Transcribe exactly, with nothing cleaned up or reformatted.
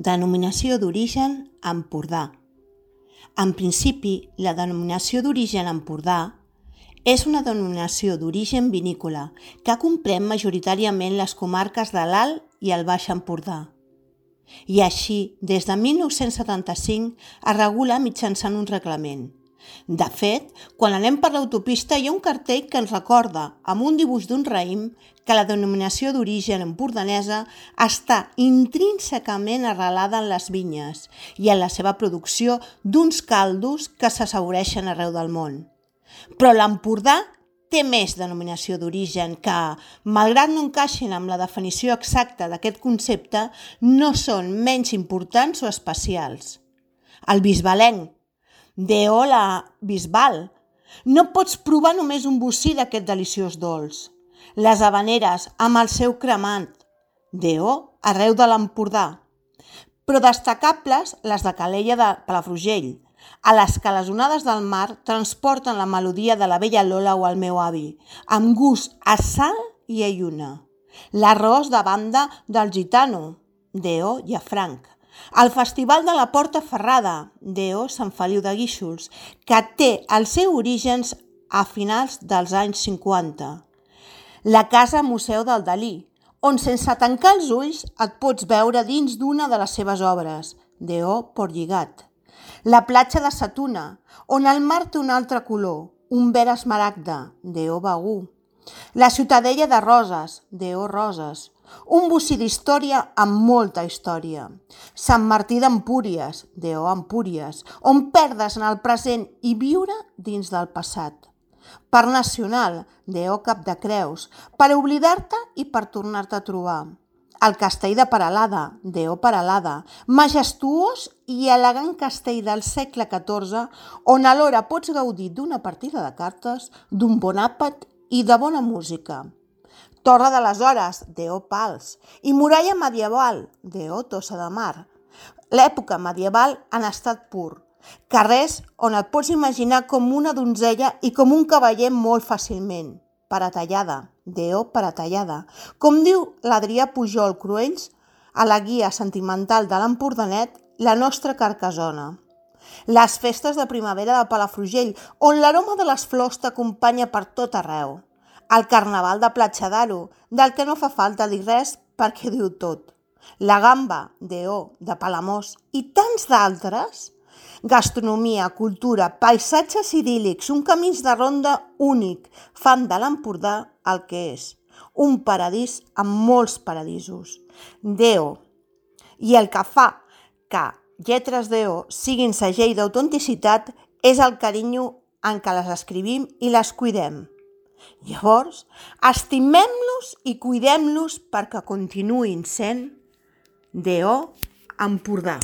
Denominació d'origen Empordà. En principi, la denominació d'origen Empordà és una denominació d'origen vinícola que comprèn majoritàriament les comarques de l'Alt i el Baix Empordà. I així, des de mil nou-cents setanta-cinc es regula mitjançant un reglament. De fet, quan anem per l'autopista hi ha un cartell que ens recorda, amb un dibuix d'un raïm, que la denominació d'origen empordanesa està intrínsecament arrelada en les vinyes i en la seva producció d'uns caldos que s'assaboreixen arreu del món. Però l'Empordà té més denominació d'origen que, malgrat no encaixin amb la definició exacta d'aquest concepte, no són menys importants o especials. El bisbalenc, D.O. la Bisbal. No pots provar només un bocí d'aquest deliciós dolç. Les habaneres amb el seu cremant, D.O. arreu de l'Empordà. Però destacables les de Calella de Palafrugell, a les que les onades del mar transporten la melodia de la vella Lola o el meu avi, amb gust a sal i a lluna. L'arròs de banda del gitano, D.O. Llafranc. El Festival de la Porta Ferrada, D.O. Sant Feliu de Guíxols, que té els seus orígens a finals dels anys cinquanta. La Casa Museu del Dalí, on sense tancar els ulls et pots veure dins d'una de les seves obres, D.O. Portlligat. La platja de Sa Tuna, on el mar té un altre color, un verd esmaragda, D.O. Begur. La Ciutadella de Roses, D.O. Roses. Un bocí d'història amb molta història. Sant Martí d'Empúries, D.O. Empúries, on perdre's en el present i viure dins del passat. Parc Nacional, D.O. Capdecreus, per oblidar-te i per tornar-te a trobar. El Castell de Peralada, D.O. Peralada, majestuós i elegant castell del segle catorze, on alhora pots gaudir d'una partida de cartes, d'un bon àpat i de bona música. Torre de les Hores, D.O. Pals, i muralla medieval, D.O. Tossa de Mar. L'època medieval en estat pur. Carrers on et pots imaginar com una donzella i com un cavaller molt fàcilment. Paratallada, D.O. Paratallada. Com diu l'Adrià Pujol Cruells a la guia sentimental de l'Empordanet, la nostra Carcassona. Les festes de primavera de Palafrugell, on l'aroma de les flors t'acompanya per tot arreu. El Carnaval de Platja d'Aro, del que no fa falta dir res perquè diu tot. La Gamba, D.O. de Palamós i tants d'altres. Gastronomia, cultura, paisatges idíl·lics, un camí de ronda únic, fan de l'Empordà el que és. Un paradís amb molts paradisos. D.O. I el que fa que lletres D.O. siguin segell d'autenticitat és el carinyo en què les escrivim i les cuidem. Llavors, estimem-los i cuidem-los perquè continuïn sent D.O. Empordà.